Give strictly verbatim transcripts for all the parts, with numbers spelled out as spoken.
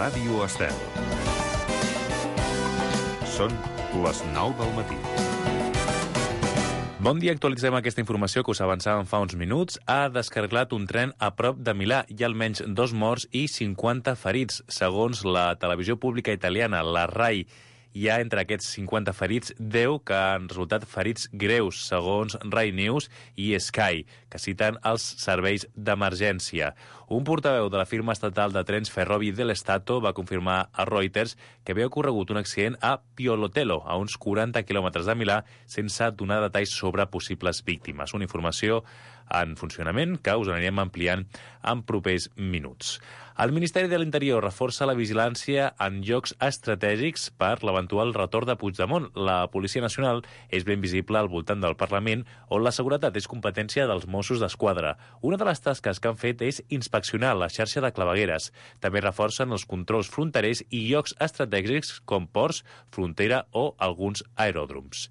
Ràdio Estel. Són les nou del matí. Bon dia, actualitzem aquesta informació que us avançàvem fa uns minuts. Ha descarrilat un tren a prop de Milà. Hi ha almenys dos morts i cinquanta ferits. Segons la televisió pública italiana, la RAI, hi ha entre aquests cinquanta ferits deu que han resultat ferits greus, segons Rai News i Sky, que citen els serveis d'emergència. Un portaveu de la firma estatal de trens Ferrovie dello Stato va confirmar a Reuters que havia ocorregut un accident a Piolotelo, a uns quaranta quilòmetres de Milà, sense donar detalls sobre possibles víctimes. Una informació en funcionament que us anirem ampliant en propers minuts. El Ministeri de l'Interior reforça la vigilància en llocs estratègics per l'eventual retorn de Puigdemont. La Policia Nacional és ben visible al voltant del Parlament, on la seguretat és competència dels Mossos d'Esquadra. Una de les tasques que han fet és inspeccionar la xarxa de clavegueres. També reforcen els controls fronterers i llocs estratègics com ports, frontera o alguns aeròdroms.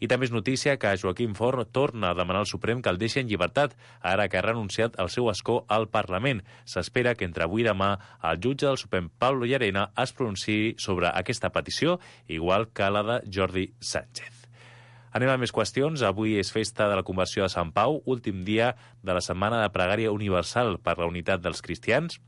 I també és notícia que Joaquim Forn torna a demanar al Suprem que el deixi en llibertat, ara que ha renunciat al seu escó al Parlament. S'espera que entre avui i demà el jutge del Suprem, Pablo Llarena, es pronunciï sobre aquesta petició, igual que la de Jordi Sánchez. Anem a més qüestions. Avui és festa de la conversió de Sant Pau, últim dia de la setmana de pregària universal per la unitat dels cristians.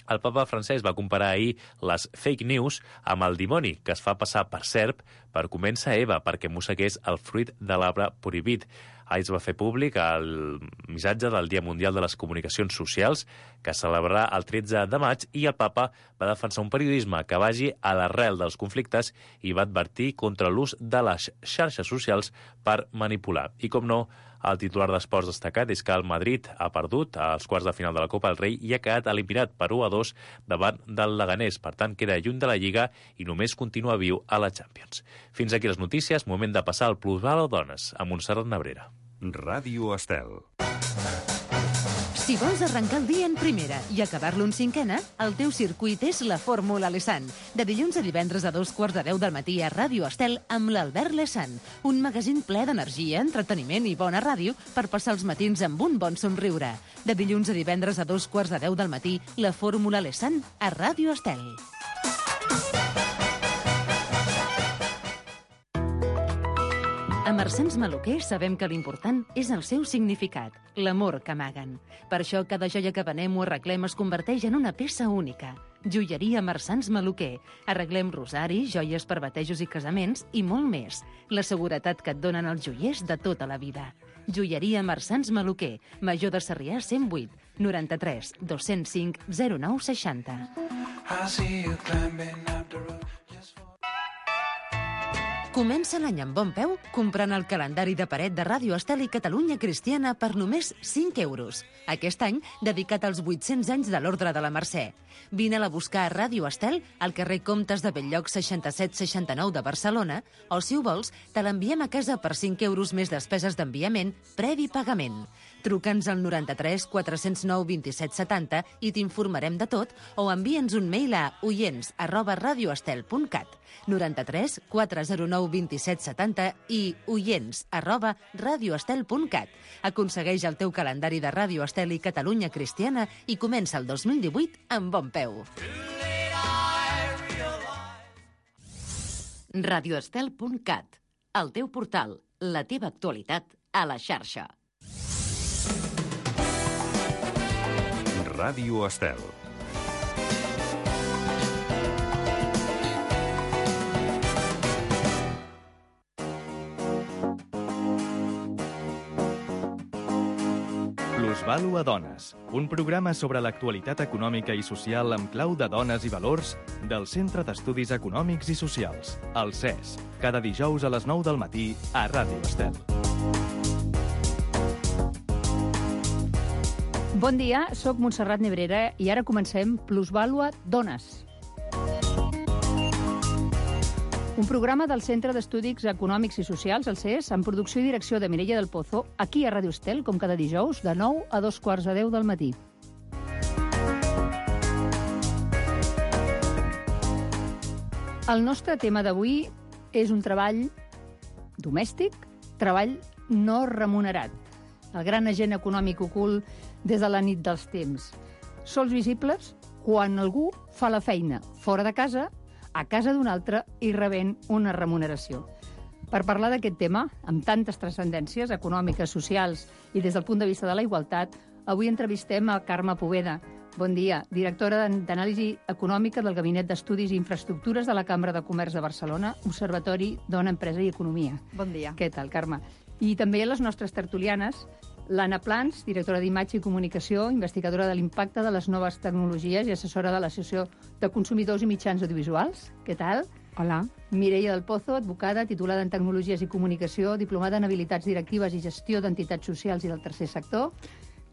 El papa francès va comparar ahir les fake news amb el dimoni, que es fa passar per serp per convèncer Eva perquè mossegués el fruit de l'arbre prohibit. Ahir es va fer públic el missatge del Dia Mundial de les Comunicacions Socials, que es celebrarà el tretze de maig, i el papa va defensar un periodisme que vagi a l'arrel dels conflictes i va advertir contra l'ús de les xarxes socials per manipular. I, com no, el titular d'esports destacat és que el Madrid ha perdut als quarts de final de la Copa del Rei i ha quedat eliminat per u a dos davant del Leganés. Per tant, queda lluny de la Lliga i només continua viu a la Champions. Fins aquí les notícies. Moment de passar al Plusvalo Dones, amb Montserrat Nebrera. Ràdio Estel. Si vols arrencar el dia en primera i acabar-lo en cinquena, el teu circuit és la Fórmula Lesan. De dilluns a divendres a dos quarts de deu del matí a Ràdio Estel amb l'Albert Lesan. Un magazín ple d'energia, entreteniment i bona ràdio per passar els matins amb un bon somriure. De dilluns a divendres a dos quarts de deu del matí, la Fórmula Lesan a Ràdio Estel. A Marsans Maluquer sabem que l'important és el seu significat, l'amor que amaguen. Per això, cada joia que venem o arreglem es converteix en una peça única. Joieria Marsans Maluquer. Arreglem rosaris, joies per batejos i casaments i molt més. La seguretat que et donen els joiers de tota la vida. Joieria Marsans Maluquer. Major de Sarrià cent vuit, noranta-tres, dos-cents cinc, zero nou seixanta. Comença l'any amb bon peu comprant el calendari de paret de Ràdio Estel i Catalunya Cristiana per només cinc euros. Aquest any, dedicat als vuit-cents anys de l'Ordre de la Mercè. Vine-la a buscar a Ràdio Estel, al carrer Comtes de Belllloc seixanta-set seixanta-nou de Barcelona, o si ho vols, te l'enviem a casa per cinc euros més despeses d'enviament, previ pagament. Truca'ns al noranta-tres quatre-cents nou vint-i-set setanta i t'informarem de tot, o envia'ns un mail a oients arroba radioestel punt cat. noranta-tres quatre-cents nou vint-i-set setanta i oients arroba radioestel punt cat. Aconsegueix el teu calendari de Ràdio Estel i Catalunya Cristiana i comença el dos mil divuit amb bon peu. radioestel punt cat, el teu portal, la teva actualitat a la xarxa. Ràdio Estel. Plusvalo a Dones, un programa sobre l'actualitat econòmica i social amb clau de dones i valors del Centre d'Estudis Econòmics i Socials, el C E S, cada dijous a les nou del matí a Ràdio Estel. Bon dia, sóc Montserrat Nebrera i ara comencem Plusvalo a Dones. Un programa del Centre d'Estudis Econòmics i Socials, el C E S, amb producció i direcció de Mireia del Pozo, aquí a Ràdio Estel, com cada dijous, de nou a dos quarts de deu del matí. El nostre tema d'avui és un treball domèstic, treball no remunerat. El gran agent econòmic ocult des de la nit dels temps. Sols visibles, quan algú fa la feina fora de casa, a casa d'un altre i rebent una remuneració. Per parlar d'aquest tema, amb tantes transcendències econòmiques, socials i des del punt de vista de la igualtat, avui entrevistem a Carme Poveda. Bon dia, directora d'Anàlisi Econòmica del Gabinet d'Estudis i Infraestructures de la Cambra de Comerç de Barcelona, Observatori Dona, Empresa i Economia. Bon dia. Què tal, Carme? I també les nostres tertulianes, l'Anna Plans, directora d'Imatge i Comunicació, investigadora de l'impacte de les noves tecnologies i assessora de l'Associació de Consumidors i Mitjans Audiovisuals. Què tal? Hola. Mireia del Pozo, advocada, titulada en Tecnologies i Comunicació, diplomada en Habilitats Directives i Gestió d'Entitats Socials i del Tercer Sector.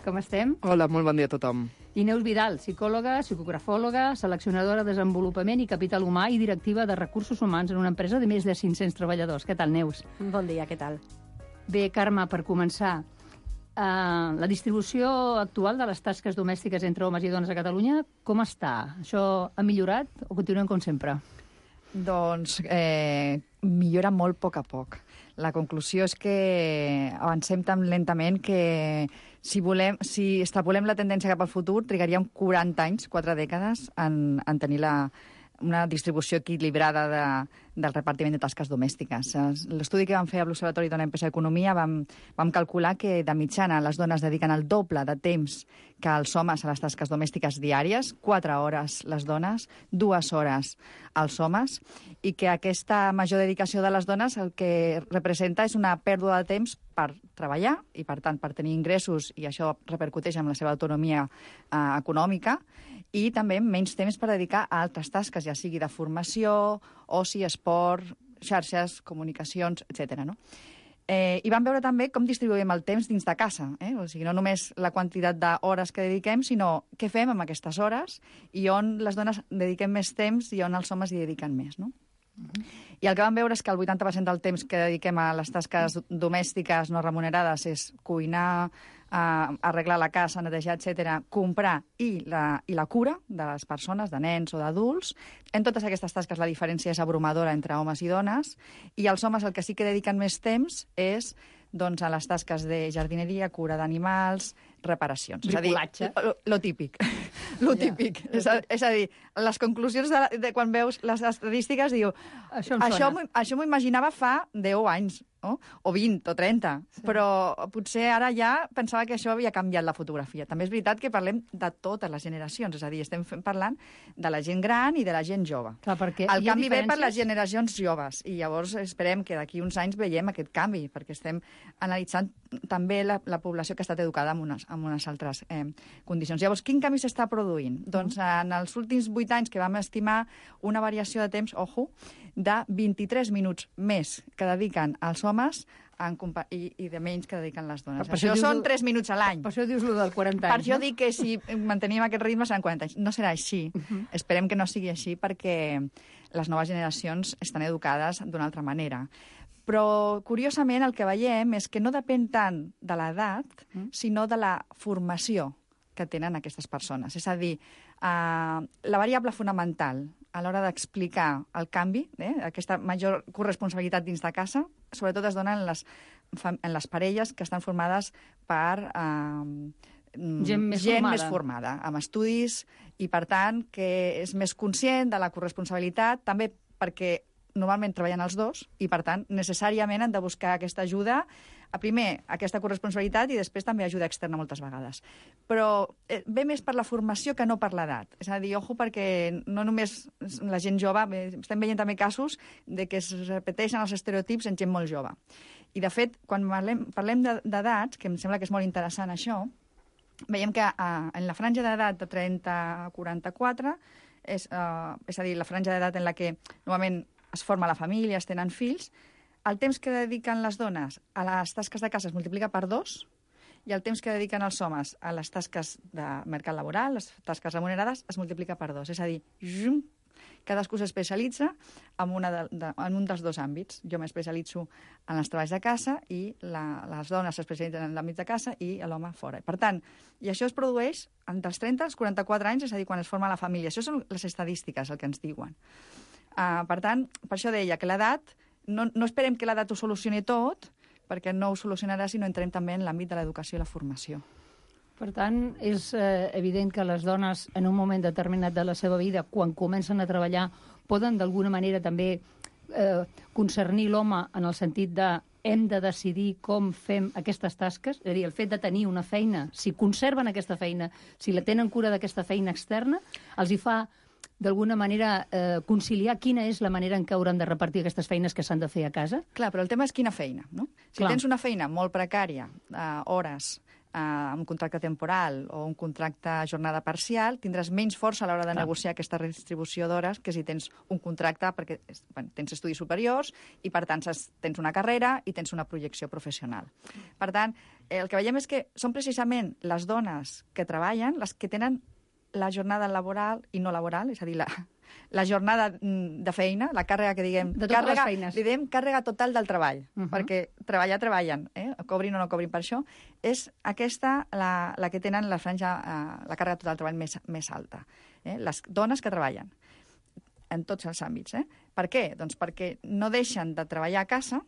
Com estem? Hola, molt bon dia a tothom. I Neus Vidal, psicòloga, psicografòloga, seleccionadora de desenvolupament i capital humà i directiva de recursos humans en una empresa de més de cinc-cents treballadors. Què tal, Neus? Bon dia, què tal? Bé, Carme, per començar, eh, la distribució actual de les tasques domèstiques entre homes i dones a Catalunya, com està? Això ha millorat o continuem com sempre? Doncs eh, millora molt a poc a poc. La conclusió és que avancem tan lentament que si, volem, si extrapolem la tendència cap al futur, trigaríem quaranta anys, quatre dècades, en, en tenir la, una distribució equilibrada de, del repartiment de tasques domèstiques. L'estudi que vam fer a l'Observatori Dona, Empresa i Economia vam, vam calcular que de mitjana les dones dediquen el doble de temps que els homes a les tasques domèstiques diàries, quatre hores les dones, dues hores els homes, i que aquesta major dedicació de les dones el que representa és una pèrdua de temps per treballar i, per tant, per tenir ingressos, i això repercuteix en la seva autonomia eh, econòmica, i també menys temps per dedicar a altres tasques, ja sigui de formació, oci, esport, xarxes, comunicacions, etcètera. No? Eh, I vam veure també com distribuïm el temps dins de casa. Eh? O sigui, no només la quantitat d'hores que dediquem, sinó què fem amb aquestes hores i on les dones dediquem més temps i on els homes hi dediquen més. No? Uh-huh. I el que vam veure és que el vuitanta per cent del temps que dediquem a les tasques domèstiques no remunerades és cuinar, Uh, arreglar la casa, netejar, etcètera, comprar i la, i la cura de les persones, de nens o d'adults. En totes aquestes tasques la diferència és abrumadora entre homes i dones, i els homes el que sí que dediquen més temps és doncs, a les tasques de jardineria, cura d'animals, reparacions. Bricolatge. És a dir, lo, lo típic. Lo típic. Ja. És, a, és a dir, les conclusions de, de quan veus les estadístiques, diu, això això m'ho imaginava fa deu anys, no? O vint o trenta, sí. Però potser ara ja pensava que això havia canviat la fotografia. També és veritat que parlem de totes les generacions, és a dir, estem parlant de la gent gran i de la gent jove. Clar, perquè el canvi diferències... ve per les generacions joves, i llavors esperem que d'aquí uns anys veiem aquest canvi, perquè estem analitzant també la, la població que ha estat educada en unes, en unes altres eh, condicions. Llavors, quin canvi s'està produint? Mm. Doncs en els últims vuit anys que vam estimar una variació de temps, ojo, de vint-i-tres minuts més que dediquen els homes en i, i de menys que dediquen les dones. Per això, això són tres minuts a l'any. Per això dius lo del quaranta anys. Per això no? dic que si mantenim aquest ritme seran quaranta anys. No serà així. Uh -huh. Esperem que no sigui així perquè les noves generacions estan educades d'una altra manera. Però, curiosament, el que veiem és que no depèn tant de l'edat, mm. sinó de la formació que tenen aquestes persones. És a dir, eh, la variable fonamental a l'hora d'explicar el canvi, eh, aquesta major corresponsabilitat dins de casa, sobretot es dona en les, en les parelles que estan formades per eh, gent, més, gent formada. més formada, amb estudis, i, per tant, que és més conscient de la corresponsabilitat, també perquè normalment treballen els dos i, per tant, necessàriament han de buscar aquesta ajuda, a primer aquesta corresponsabilitat i després també ajuda externa moltes vegades. Però eh, ve més per la formació que no per l'edat. És a dir, ojo, perquè no només la gent jove, bé, estem veient també casos de que es repeteixen els estereotips en gent molt jove. I, de fet, quan parlem, parlem d'edats, que em sembla que és molt interessant això, veiem que eh, en la franja d'edat de trenta a quaranta-quatre, és, eh, és a dir, la franja d'edat en la que normalment es forma la família, es tenen fills, el temps que dediquen les dones a les tasques de casa es multiplica per dos, i el temps que dediquen els homes a les tasques de mercat laboral, les tasques remunerades, es multiplica per dos. És a dir, jum, cadascú s'especialitza en, una de, de, en un dels dos àmbits. Jo m'especialitzo en els treballs de casa i la, les dones s'especialitzen en l'àmbit de casa i l'home fora. Per tant, i això es produeix entre els trenta als quaranta-quatre anys, és a dir, quan es forma la família. Això són les estadístiques, el que ens diuen. Uh, per tant, per això deia que l'edat, no, no esperem que l'edat ho solucioni tot, perquè no ho solucionarà si no entrem també en l'àmbit de l'educació i la formació. Per tant, és eh, evident que les dones, en un moment determinat de la seva vida, quan comencen a treballar, poden d'alguna manera també eh, concernir l'home en el sentit de hem de decidir com fem aquestes tasques, és a dir, el fet de tenir una feina, si conserven aquesta feina, si la tenen cura d'aquesta feina externa, els hi fa d'alguna manera eh, conciliar quina és la manera en què hauran de repartir aquestes feines que s'han de fer a casa? Clar, però el tema és quina feina, no? Si Clar. tens una feina molt precària, eh, hores, eh, un contracte temporal o un contracte a jornada parcial, tindràs menys força a l'hora de Clar. negociar aquesta redistribució d'hores que si tens un contracte perquè bueno, tens estudis superiors i, per tant, tens una carrera i tens una projecció professional. Per tant, el que veiem és que són precisament les dones que treballen les que tenen la jornada laboral i no laboral, és a dir, la, la jornada de feina, la càrrega que diguem... De totes càrrega, les feines. Li diem càrrega total del treball, Uh -huh. perquè treballar, treballen, eh? cobrin o no cobrin per això. És aquesta la, la que tenen la franja, eh, la càrrega total del treball més, més alta. Eh? Les dones que treballen en tots els àmbits. Eh? Per què? Doncs perquè no deixen de treballar a casa,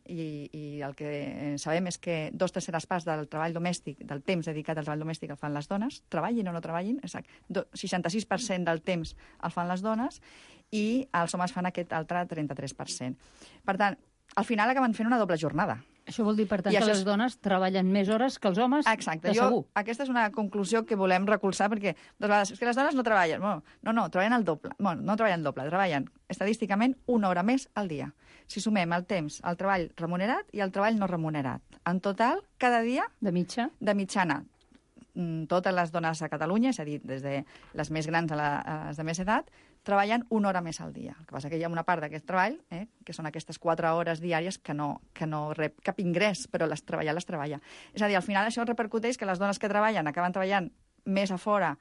i, i el que sabem és que dos terceres parts del treball domèstic, del temps dedicat al treball domèstic el fan les dones, treballin o no treballin, exacte, seixanta-sis per cent del temps el fan les dones i els homes fan aquest altre trenta-tres per cent. Per tant, al final acaben fent una doble jornada. Això vol dir, per tant, I que això les és- dones treballen més hores que els homes, Exacte. de Jo, segur. aquesta és una conclusió que volem recolzar perquè, de vegades, és que les dones no treballen. Bueno, no, no, treballen el doble. Bueno, no treballen doble, treballen estadísticament una hora més al dia. Si sumem el temps, el treball remunerat i el treball no remunerat. En total, cada dia, De mitja. de mitjana, mm, totes les dones a Catalunya, és a dir, des de les més grans a, la, a les de més edat, treballen una hora més al dia. El que passa que hi ha una part d'aquest treball, eh, que són aquestes quatre hores diàries que no, que no rep cap ingrés, però les treballar les treballa. És a dir, al final això repercuteix que les dones que treballen acaben treballant més a fora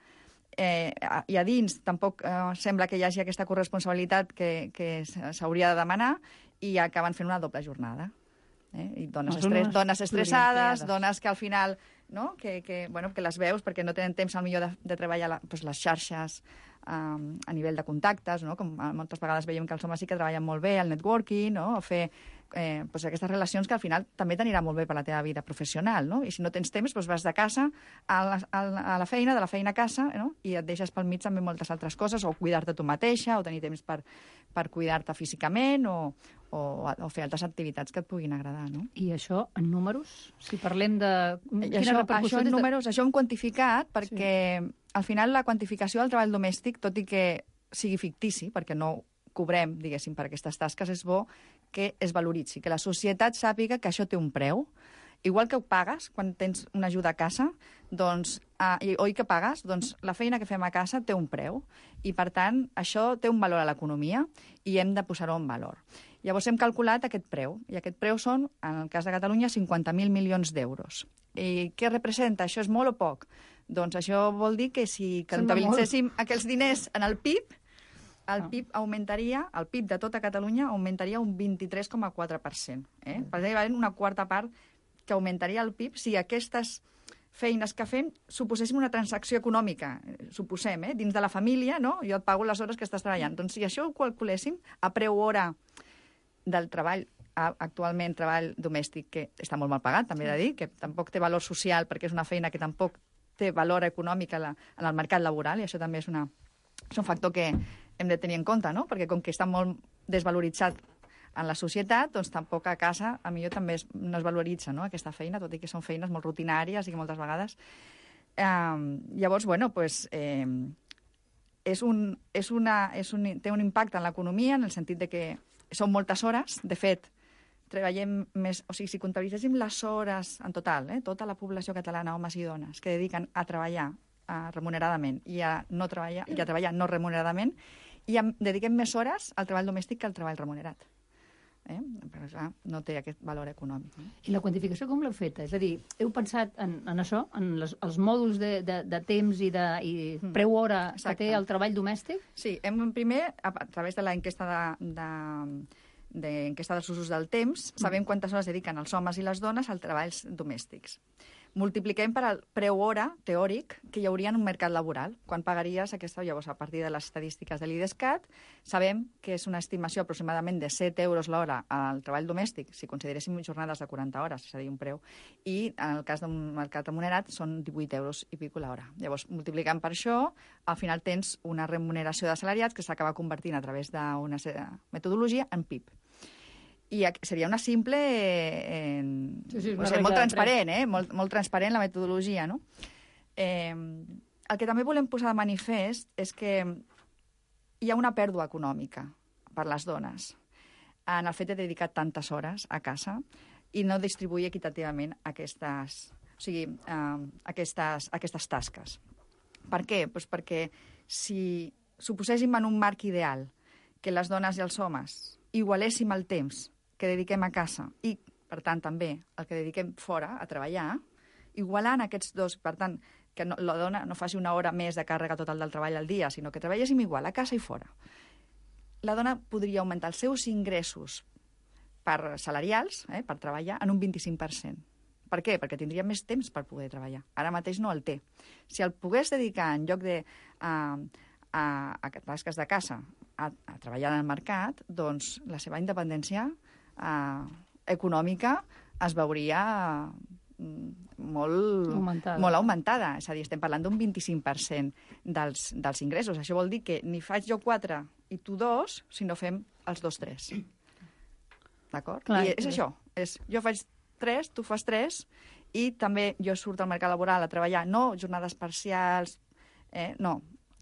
eh, i a dins tampoc eh, sembla que hi hagi aquesta corresponsabilitat que, que s'hauria de demanar i acaben fent una doble jornada. Eh? I dones, Les estres, dones dones estressades, pluriempleades. dones que al final no? que, que, bueno, que les veus perquè no tenen temps al millor de, de treballar la, doncs les xarxes um, a nivell de contactes, no? Com moltes vegades veiem que els homes sí que treballen molt bé el networking, no? O fer eh, doncs aquestes relacions que al final també t'anirà molt bé per la teva vida professional, no? I si no tens temps, doncs vas de casa a la, a la feina, de la feina a casa, no? I et deixes pel mig també moltes altres coses, o cuidar-te tu mateixa, o tenir temps per, per cuidar-te físicament, o, o, o fer altres activitats que et puguin agradar, no? I això, en números? Si parlem de... I Quina això, repercussió això en des de- números, això ho hem quantificat perquè sí. Al final la quantificació del treball domèstic, tot i que sigui fictici, perquè no cobrem, diguéssim, per aquestes tasques, és bo que es valoritzi, que la societat sàpiga que això té un preu. Igual que ho pagues quan tens una ajuda a casa, doncs, eh, oi que pagues, doncs la feina que fem a casa té un preu i, per tant, això té un valor a l'economia i hem de posar-ho en valor. Llavors hem calculat aquest preu, i aquest preu són, en el cas de Catalunya, cinquanta mil milions d'euros. I què representa? Això és molt o poc? Doncs això vol dir que si comptabilitzéssim aquells diners en el P I B, el P I B augmentaria, el P I B de tota Catalunya augmentaria un vint-i-tres coma quatre per cent. Eh? Per tant, una quarta part que augmentaria el P I B si aquestes feines que fem suposéssim una transacció econòmica, eh, suposem, eh? dins de la família, no? Jo et pago les hores que estàs treballant. Doncs si això ho calculéssim a preu hora del treball, actualment treball domèstic, que està molt mal pagat, també he de dir, que tampoc té valor social perquè és una feina que tampoc té valor econòmic a la, en el mercat laboral, i això també és, una, és un factor que hem de tenir en compte, no? Perquè com que està molt desvaloritzat en la societat, doncs tampoc a casa a millor també es, no es valoritza, no? Aquesta feina, tot i que són feines molt rutinàries i que moltes vegades... Eh, llavors, bueno, pues, eh, és un, és una, és un, té un impacte en l'economia en el sentit de que són moltes hores. De fet, treballem més... O sigui, si comptabilitzéssim les hores en total, eh, tota la població catalana, homes i dones, que dediquen a treballar a, remuneradament i a, no treballar, i a treballar no remuneradament, i a, dediquem més hores al treball domèstic que al treball remunerat. Eh? Però, clar, no té aquest valor econòmic. No? I la quantificació com l'heu feta? És a dir, heu pensat en, en això, en les, els mòduls de, de, de temps i, de, i Mm. preu hora Exacte. que té el treball domèstic? Sí, hem primer, a, a través de l'enquesta de, de, de, enquesta dels usos del temps, sabem quantes hores dediquen els homes i les dones als treballs domèstics. multipliquem per al preu hora teòric que hi hauria en un mercat laboral. Quan pagaries aquesta, llavors, a partir de les estadístiques de l'IDESCAT, sabem que és una estimació aproximadament de set euros l'hora al treball domèstic, si consideréssim jornades de quaranta hores, és a dir, un preu, i en el cas d'un mercat remunerat són divuit euros i pico l'hora. Llavors, multiplicant per això, al final tens una remuneració de salariats que s'acaba convertint a través d'una metodologia en P I B. I seria una simple... Eh, sí, sí, una o sigui, molt transparent, eh? Molt, molt transparent la metodologia, no? Eh, el que també volem posar de manifest és que hi ha una pèrdua econòmica per les dones en el fet de dedicar tantes hores a casa i no distribuir equitativament aquestes, o sigui, eh, aquestes, aquestes tasques. Per què? Pues perquè si suposéssim en un marc ideal que les dones i els homes igualéssim el temps que dediquem a casa i, per tant, també el que dediquem fora a treballar, igualant aquests dos, per tant, que no, la dona no faci una hora més de càrrega total del treball al dia, sinó que treballéssim igual a casa i fora. La dona podria augmentar els seus ingressos per salarials, eh, per treballar, en un vint-i-cinc per cent. Per què? Perquè tindria més temps per poder treballar. Ara mateix no el té. Si el pogués dedicar en lloc de a, a, a tasques de casa a, a treballar en el mercat, doncs la seva independència eh, econòmica es veuria molt augmentada. molt augmentada. És a dir, estem parlant d'un vint-i-cinc per cent dels, dels ingressos. Això vol dir que ni faig jo quatre i tu dos, sinó fem els dos tres. D'acord? I és això. És, jo faig tres, tu fas tres, i també jo surto al mercat laboral a treballar, no jornades parcials, eh, no.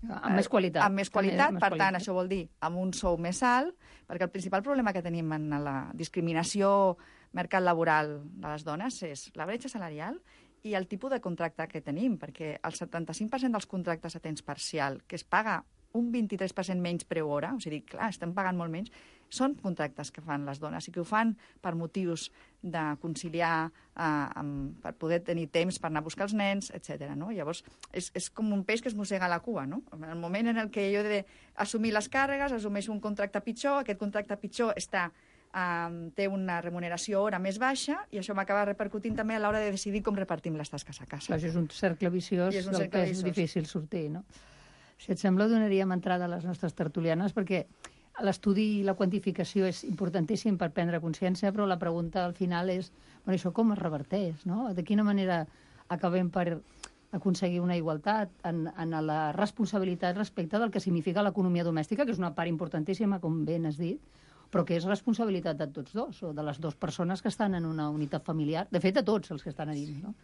Amb més qualitat. Amb més qualitat, per tant, això vol dir amb un sou més alt, perquè el principal problema que tenim en la discriminació mercat laboral de les dones és la bretxa salarial i el tipus de contracte que tenim, perquè el setanta-cinc per cent dels contractes a temps parcial, que es paga un vint-i-tres per cent menys preu hora, o sigui, clar, estem pagant molt menys, són contractes que fan les dones i que ho fan per motius de conciliar, eh, amb, per poder tenir temps per anar a buscar els nens, etcètera. No? Llavors, és, és com un peix que es mossega la cua. No? En el moment en el què jo he d'assumir les càrregues, assumeixo un contracte pitjor, aquest contracte pitjor està, eh, té una remuneració hora més baixa i això m'acaba repercutint també a l'hora de decidir com repartim les tasques a casa. Clar, això és un cercle viciós un del cercle que és viciós. difícil sortir, no? Si et sembla, donaríem entrada a les nostres tertulianes, perquè l'estudi i la quantificació és importantíssim per prendre consciència, però la pregunta al final és, bueno, això com es reverteix, no? De quina manera acabem per aconseguir una igualtat en, en la responsabilitat respecte del que significa l'economia domèstica, que és una part importantíssima, com ben has dit, però que és responsabilitat de tots dos, o de les dues persones que estan en una unitat familiar. De fet, de tots els que estan a dins, no?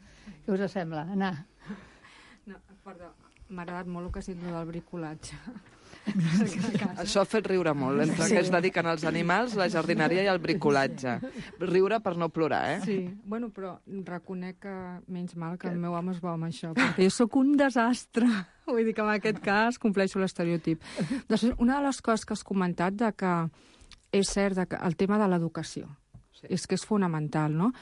Què us sembla? Anna? No, perdó. M'ha agradat molt el que has dit del bricolatge. Això ha fet riure molt, entre sí. que es dediquen als animals, la jardineria i el bricolatge. Riure per no plorar, eh? Sí, bueno, però reconec que menys mal que el meu home es veu amb això, perquè jo sóc un desastre. Vull dir que en aquest cas compleixo l'estereotip. Després, una de les coses que has comentat de que és cert que el tema de l'educació sí. és que és fonamental, no?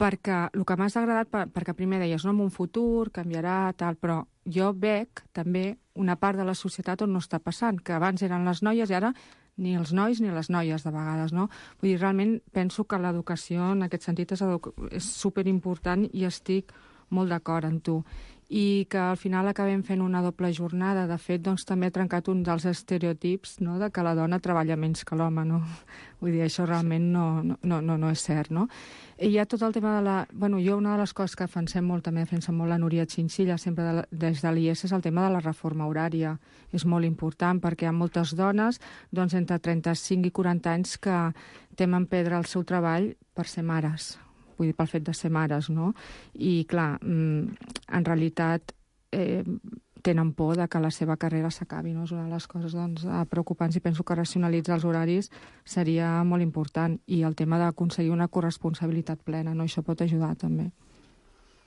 Perquè el que m'ha agradat, perquè primer deies, no, en un futur canviarà, tal, però jo veig també una part de la societat on no està passant, que abans eren les noies i ara ni els nois ni les noies de vegades, no? Vull dir, realment penso que l'educació en aquest sentit és, és superimportant i estic molt d'acord amb tu. I que al final acabem fent una doble jornada. De fet, doncs, també ha trencat un dels estereotips, no?, de que la dona treballa menys que l'home, no? Vull dir, això realment no, no, no, no és cert, no? I hi ha tot el tema de la... Bueno, jo una de les coses que defensem molt, també defensem molt la Núria Chinchilla, sempre de la, des de l'I E S, és el tema de la reforma horària. És molt important perquè hi ha moltes dones, doncs, entre trenta-cinc i quaranta anys que temen perdre el seu treball per ser mares. Vull dir, pel fet de ser mares, no? I, clar, en realitat eh, tenen por de que la seva carrera s'acabi, no? És una de les coses, doncs, preocupants i penso que racionalitzar els horaris seria molt important. I el tema d'aconseguir una corresponsabilitat plena, no? Això pot ajudar, també.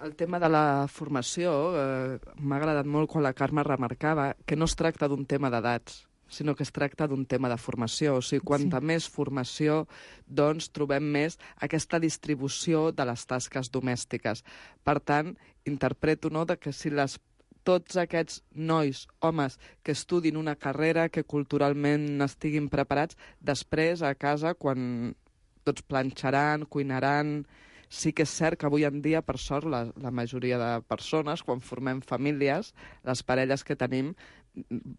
El tema de la formació eh, m'ha agradat molt quan la Carme remarcava que no es tracta d'un tema d'edats, sinó que es tracta d'un tema de formació. O sigui, quanta sí. més formació, doncs, trobem més aquesta distribució de les tasques domèstiques. Per tant, interpreto, no?, de que si les, tots aquests nois, homes, que estudin una carrera, que culturalment estiguin preparats, després, a casa, quan tots planxaran, cuinaran, Sí que és cert que avui en dia, per sort, la, la majoria de persones, quan formem famílies, les parelles que tenim,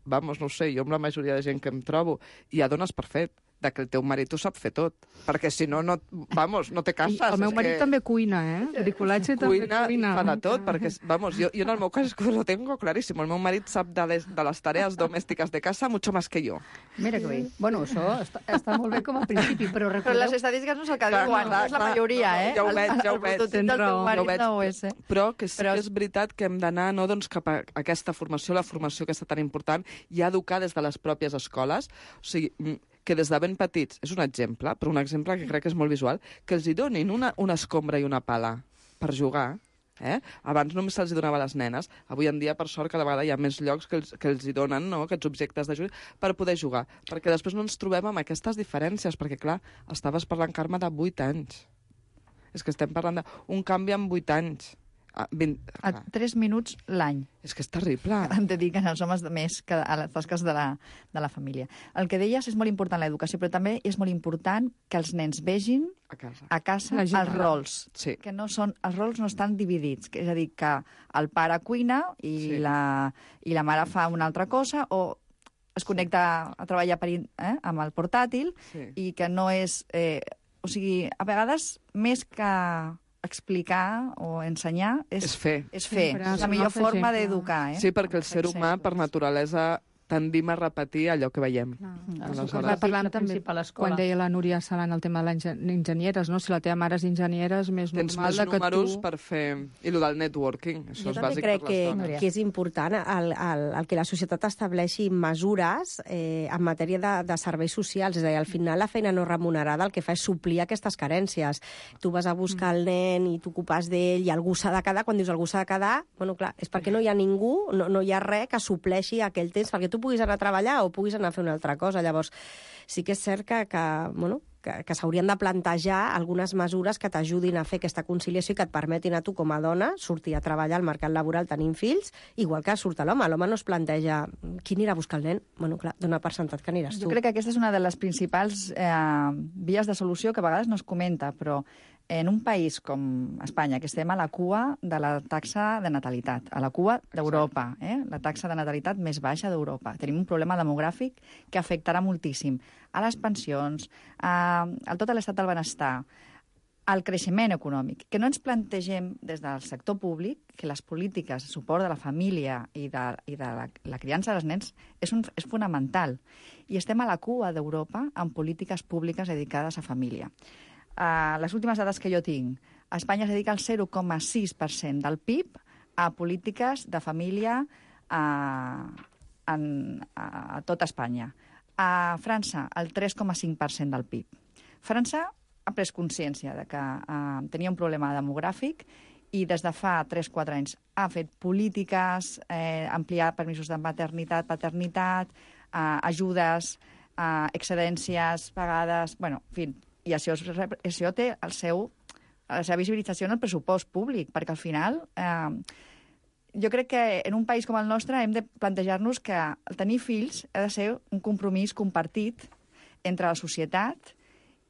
vamos, no ho sé, jo amb la majoria de gent que em trobo, ja dones per fet de que el teu marit ho sap fer tot, perquè si no, no vamos, no te cases. I el meu marit que... també cuina, eh? Bricolatge també cuina. cuina. Fa de tot, perquè, vamos, jo, jo en el meu cas lo tengo clarísimo. El meu marit sap de les, de les tareas domèstiques de casa mucho más que jo. Mira que bé. Bueno, això està, està molt bé com a principi, però Però recordeu... les estadístiques no és el que Clar, diuen, clar, no és la clar. majoria, No, no, eh? ja ho El- veig, ja ho el veig. prototip Tens del teu raó. marit No ho veig. no ho és, eh? Però que sí Però- que és veritat que hem d'anar no, doncs, cap a aquesta formació, la formació aquesta tan important, i educar des de les pròpies escoles. O sigui, mm, que des de ben petits, és un exemple, però un exemple que crec que és molt visual, que els hi donin una, una escombra i una pala per jugar. Eh? Abans només se'ls donava a les nenes. Avui en dia, per sort, cada vegada hi ha més llocs que els, que els hi donen, no?, aquests objectes de joc per poder jugar. Perquè després no ens trobem amb aquestes diferències, perquè, clar, estaves parlant, Carme, de vuit anys. És que estem parlant d'un canvi en vuit anys. Ah, vint... A tres minuts l'any És que és terrible. em dediquen els homes de més que a les tasques de la, de la família. El que deies és molt important l'educació, però també és molt important que els nens vegin A casa. a casa La gent els gran. rols. Sí. Que no són, els rols no estan dividits, que és a dir, que el pare cuina i, Sí. la, i la mare fa una altra cosa, o es connecta a treballar per, in- eh, amb el portàtil, Sí. i que no és... Eh, o sigui, a vegades, més que explicar o ensenyar, és, És fer. és fer. Sempre, És la ser un millor altre forma exemple. d'educar, eh? Sí, perquè el ser humà, per Exemples. naturalesa, tendim a repetir allò que veiem. Aleshores, Aleshores- parlàvem la també, principal escola. quan deia la Núria Salant el tema de les engen- enginyeres, no? Si la teva mare és enginyera, és més Tens normal més de que números tu... per fer... I el del networking, això Jo és també bàsic crec per que, les dones. que és important el, el, el que la societat estableixi mesures eh, en matèria de, de serveis socials. És a dir, al final la feina no remunerada el que fa és suplir aquestes carències. Tu vas a buscar el nen i t'ocupes d'ell i algú s'ha de quedar. Quan dius algú s'ha de quedar, bueno, clar, és perquè no hi ha ningú, no, no hi ha res que supleixi aquell temps perquè tu puguis anar a treballar o puguis anar a fer una altra cosa. Llavors, sí que és cert que, que bueno, que, que s'haurien de plantejar algunes mesures que t'ajudin a fer aquesta conciliació i que et permetin a tu com a dona sortir a treballar al mercat laboral tenint fills, igual que surt l'home. L'home no es planteja qui anirà a buscar el nen. Bueno, clar, dona per sentat que aniràs tu. Jo crec que aquesta és una de les principals eh, vies de solució que a vegades no es comenta, però en un país com Espanya, que estem a la cua de la taxa de natalitat, a la cua d'Europa, eh? la taxa de natalitat més baixa d'Europa. Tenim un problema demogràfic que afectarà moltíssim a les pensions, a, a tot l'estat del benestar, al creixement econòmic. Que no ens plantegem des del sector públic que les polítiques de suport de la família i de, i de la, la criança dels nens és, un, és fonamental. I estem a la cua d'Europa amb polítiques públiques dedicades a família. Uh, les últimes dades que jo tinc, a Espanya es dedica el zero coma sis per cent del P I B a polítiques de família a, en, a, a tot Espanya. A França, el tres coma cinc per cent del P I B. França ha pres consciència de que uh, tenia un problema demogràfic i des de fa tres o quatre anys ha fet polítiques, eh, ampliar permisos de maternitat, paternitat, eh, ajudes, eh, excedències pagades... Bueno, en fi, i això, és, això té el seu, la seva visibilització en el pressupost públic, perquè al final eh, jo crec que en un país com el nostre hem de plantejar-nos que el tenir fills ha de ser un compromís compartit entre la societat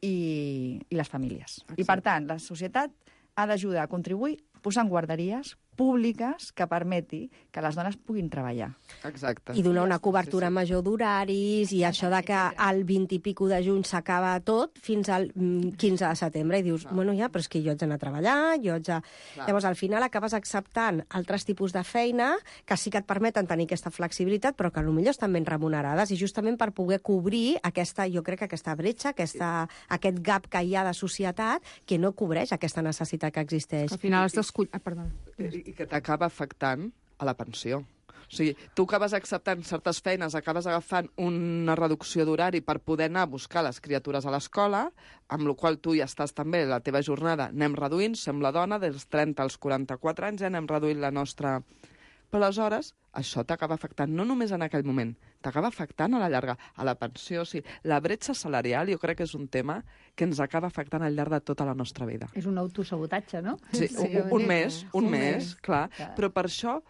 i, i les famílies. Exacte. I, per tant, la societat ha d'ajudar a contribuir posant guarderies públiques que permeti que les dones puguin treballar. Exacte. I donar una cobertura Sí, sí. major d'horaris i això de que al vint i pico de juny s'acaba tot fins al mm, quinze de setembre i dius, bueno, ja, però és que jo haig d'anar a treballar, jo haig de... Clar. Llavors, al final acabes acceptant altres tipus de feina que sí que et permeten tenir aquesta flexibilitat, però que potser estan ben remunerades i justament per poder cobrir aquesta, jo crec que aquesta bretxa, aquesta, aquest gap que hi ha de societat que no cobreix aquesta necessitat que existeix. Al final has d'escollir... Ah, perdó. I, i que t'acaba afectant a la pensió. O sigui, tu acabes acceptant certes feines, acabes agafant una reducció d'horari per poder anar a buscar les criatures a l'escola, amb la qual tu ja estàs també, la teva jornada, anem reduint, som la dona, dels trenta als quaranta-quatre anys, ja anem reduint la nostra... Però aleshores, això t'acaba afectant no només en aquell moment, t'acaba afectant a la llarga, a la pensió. O sigui, la bretxa salarial jo crec que és un tema que ens acaba afectant al llarg de tota la nostra vida. És un autosabotatge, no? Sí, Sí, un, un una mes, mica. un Un mes, mes. clar. Clar. Però per això,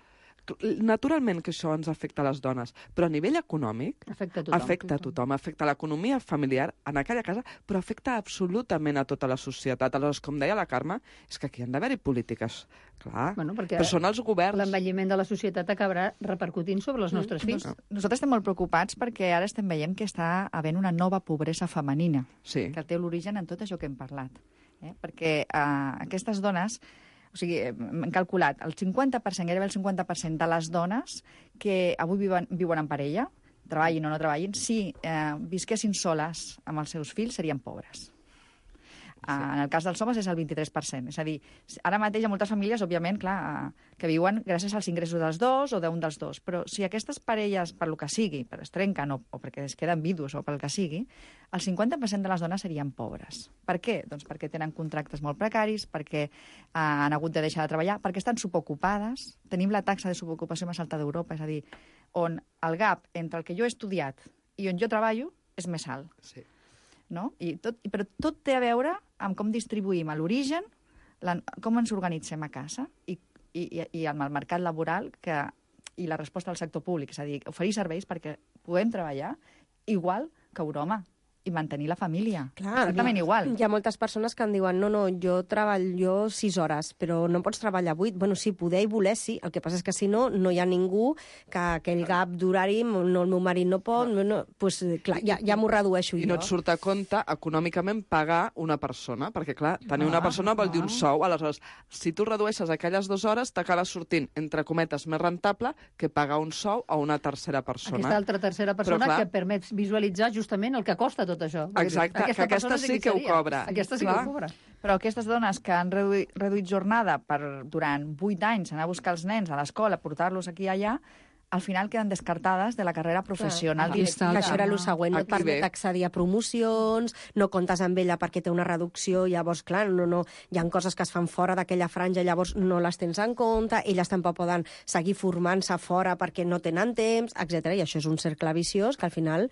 Naturalment que això ens afecta a les dones, però a nivell econòmic afecta a tothom. Afecta a tothom, afecta a l'economia familiar en aquella casa, però afecta absolutament a tota la societat. Aleshores, com deia la Carme, és que aquí han d'haver-hi polítiques, clar, Bueno, perquè però són els governs. l'envelliment de la societat acabarà repercutint sobre els nostres fills. Nosaltres estem molt preocupats perquè ara estem veient que està havent una nova pobresa femenina, Sí. que té l'origen en tot això que hem parlat. Eh? Perquè eh, aquestes dones, o sigui, hem calculat el cinquanta per cent, gairebé el cinquanta per cent de les dones que avui viuen, viuen en parella, treballin o no treballin, si eh, visquessin soles amb els seus fills, serien pobres. Sí. En el cas dels homes és el vint-i-tres per cent. És a dir, ara mateix hi ha moltes famílies, òbviament, clar, que viuen gràcies als ingressos dels dos o d'un dels dos. Però si aquestes parelles, per lo que sigui, per es trenquen o, o perquè es queden vidus o pel que sigui, el cinquanta per cent de les dones serien pobres. Per què? Doncs perquè tenen contractes molt precaris, perquè eh, han hagut de deixar de treballar, perquè estan subocupades. Tenim la taxa de subocupació més alta d'Europa, és a dir, on el gap entre el que jo he estudiat i on jo treballo és més alt. Sí. No? I tot, però tot té a veure amb com distribuïm a l'origen, la, com ens organitzem a casa i, i, i amb el mercat laboral que, i la resposta del sector públic, és a dir, oferir serveis perquè puguem treballar igual que Europa i mantenir la família. Clar, exactament hi, igual. Hi ha moltes persones que em diuen no, no, jo treballo sis hores, però no pots treballar vuit. Bueno, sí, poder i voler, sí. El que passa és que si no, no hi ha ningú que aquell gap d'horari, no, el meu marit no pot, no, no, pues, clar, ja, ja m'ho redueixo I jo. no et surt a compte econòmicament pagar una persona, perquè, clar, tenir una persona vol dir un sou. Aleshores, si tu redueixes aquelles dues hores, t'acaba sortint, entre cometes, més rentable que pagar un sou a una tercera persona. Aquesta altra tercera persona Però, clar, que permet visualitzar justament el que costa tot això. Exacte, que aquesta sí que ho cobra. Aquesta sí que Clar. ho cobra. Però aquestes dones que han reduït, reduït jornada per, durant vuit anys, anar a buscar els nens a l'escola, portar-los aquí i allà, al final queden descartades de la carrera professional. Aquí està el Que això era el següent, no et Aquí permet ve. accedir a promocions, no comptes amb ella perquè té una reducció, llavors, clar, no, no, hi ha coses que es fan fora d'aquella franja, llavors no les tens en compte, elles tampoc poden seguir formant-se fora perquè no tenen temps, etcètera. I això és un cercle viciós que al final,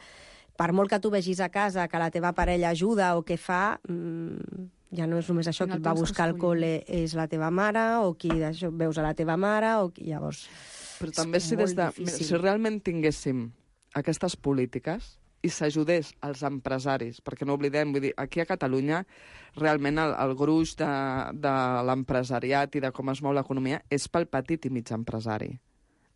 per molt que tu vegis a casa que la teva parella ajuda o que fa, mmm, ja no és només això, qui et va a buscar al col·le és la teva mare, o qui d'això veus a la teva mare, o qui llavors... Però també si, des de, difícil. si realment tinguéssim aquestes polítiques i s'ajudés als empresaris, perquè no oblidem, vull dir, aquí a Catalunya realment el, el gruix de, de l'empresariat i de com es mou l'economia és pel petit i mig empresari.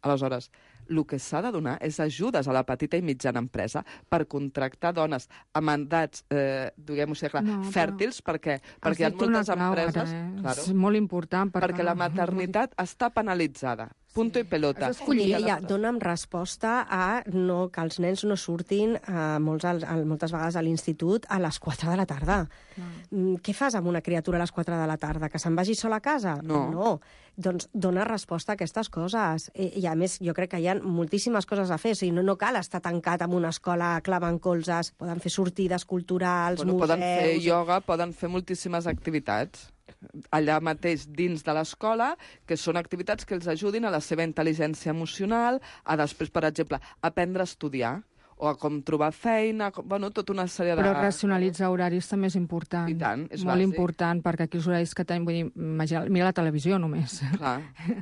Aleshores, el que s'ha de donar és ajudes a la petita i mitjana empresa per contractar dones amb mandats, eh, diguem-ho així, clar, No, però fèrtils, perquè, Has perquè hi ha dit una moltes clau, empreses... ara, eh? Claro, És molt important. Perquè, perquè la maternitat està penalitzada. Punto i pelota. Has escollit. I ella dona'm resposta a no, que els nens no surtin a molts, a, a, moltes vegades a l'institut a les quatre de la tarda. Mm, Què fas amb una criatura a les quatre de la tarda? Que se'n vagi sola a casa? No. no. Doncs dona resposta a aquestes coses. I, I a més, jo crec que hi ha moltíssimes coses a fer. O sigui, no, no cal estar tancat en una escola clavant colzes. Poden fer sortides culturals, Bueno, museus... poden fer ioga, poden fer moltíssimes activitats allà mateix dins de l'escola, que són activitats que els ajudin a la seva intel·ligència emocional, a després, per exemple, aprendre a estudiar, o a com trobar feina, com, bueno, tota una sèrie de... Però racionalitzar horaris també és important. I tant, és Molt bàsic. important, perquè aquí els horaris que tenim, vull dir, imagina- mira la televisió només. Clar,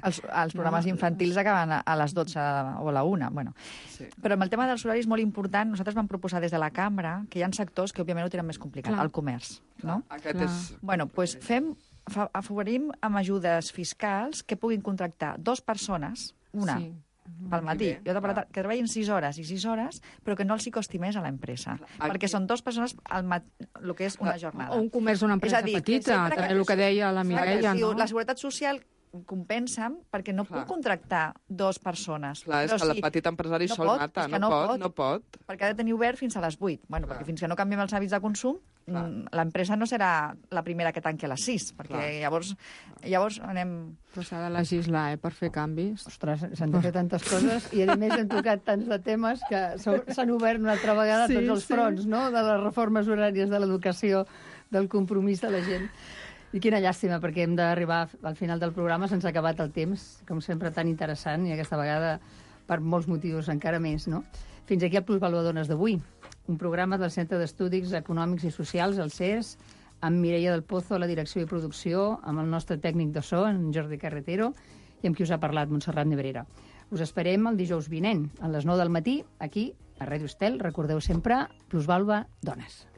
Els, els programes infantils acaben a, a les dotze o a la una. Bueno. sí. Però amb el tema dels horaris molt important, nosaltres vam proposar des de la cambra que hi ha sectors que òbviament ho tenen més complicat, Clar. el comerç, no? Aquest Clar. és... Bueno, doncs fem, fa, afavorim amb ajudes fiscals que puguin contractar dos persones, una Sí. pel matí i otra per la tarda, que treballin sis hores i sis hores, però que no els hi costi més a l'empresa. Aquí- Perquè són dues persones al mat... el que és una jornada. O un comerç d'una empresa És a dir, petita, sempre que- també el que deia la Mireia, Exacte, si no? La Seguretat Social compensen perquè no Clar. puc contractar dos persones. Clar, és Però que si- el petit empresari no sol pot, mata, és que no, no pot, pot. no pot. perquè ha de tenir obert fins a les vuit. Bueno, Clar. perquè fins que no canviem els hàbits de consum, Clar. mm, l'empresa no serà la primera que tanqui a les sis, perquè Clar. llavors, llavors anem... Però s'ha de legislar, eh, per fer canvis. Ostres, s'han de fer tantes coses i, a més, hem tocat tants de temes que s'ha- s'han obert una altra vegada Sí, tots els sí. fronts, no?, de les reformes horàries, de l'educació, del compromís de la gent. I quina llàstima, perquè hem d'arribar al final del programa, se'ns ha acabat el temps, com sempre tan interessant, i aquesta vegada per molts motius encara més, no? Fins aquí el Plusvaluadones d'avui, un programa del Centre d'Estudis Econòmics i Socials, el C E S, amb Mireia del Pozo a la direcció i producció, amb el nostre tècnic de so, en Jordi Carretero, i amb qui us ha parlat, Montserrat Nebrera. Us esperem el dijous vinent, a les nou del matí, aquí, a Ràdio Estel. Recordeu sempre, Plusvalva Dones.